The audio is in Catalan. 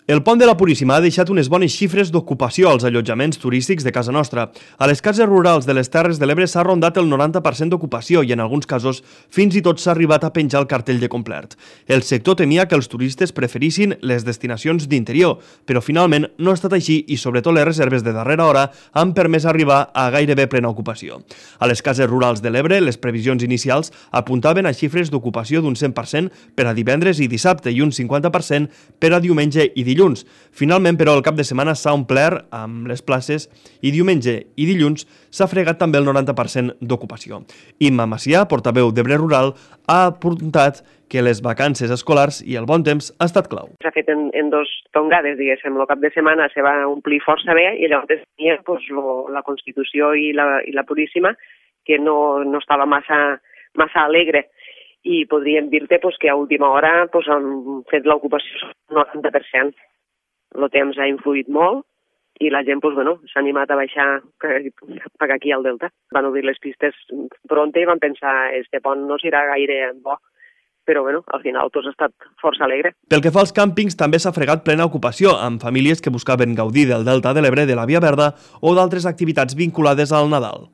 El pont de la Puríssima ha deixat unes bones xifres d'ocupació als allotjaments turístics de casa nostra. A les cases rurals de les Terres de l'Ebre s'ha rondat el 90% d'ocupació i en alguns casos fins i tot s'ha arribat a penjar el cartell de complet. El sector temia que els turistes preferissin les destinacions d'interior, però finalment no ha estat així i sobretot les reserves de darrera hora han permès arribar a gairebé plena ocupació. A les cases rurals de l'Ebre, les previsions inicials apuntaven a xifres d'ocupació d'un 100% per a divendres i dissabte i un 50% per a diumenge i dilluns. Finalment, però, el cap de setmana s'ha omplert amb les places i diumenge i dilluns s'ha fregat també el 90% d'ocupació. Imma Macià, portaveu d'Ebre Rural, ha apuntat que les vacances escolars i el bon temps ha estat clau. S'ha fet en dos tongades, diguéssim. El cap de setmana se va omplir força bé i llavors tenia la Constitució i la Puríssima, que no estava massa alegre. I podríem dir-te que a última hora han fet l'ocupació al 90%. El temps ha influït molt i la gent s'ha animat a baixar cap aquí al Delta. Van obrir les pistes pronte i van pensar este pont no serà gaire bo, però al final ha estat força alegre. Pel que fa als càmpings, també s'ha fregat plena ocupació, amb famílies que buscaven gaudir del Delta de l'Ebre, de la Via Verda o d'altres activitats vinculades al Nadal.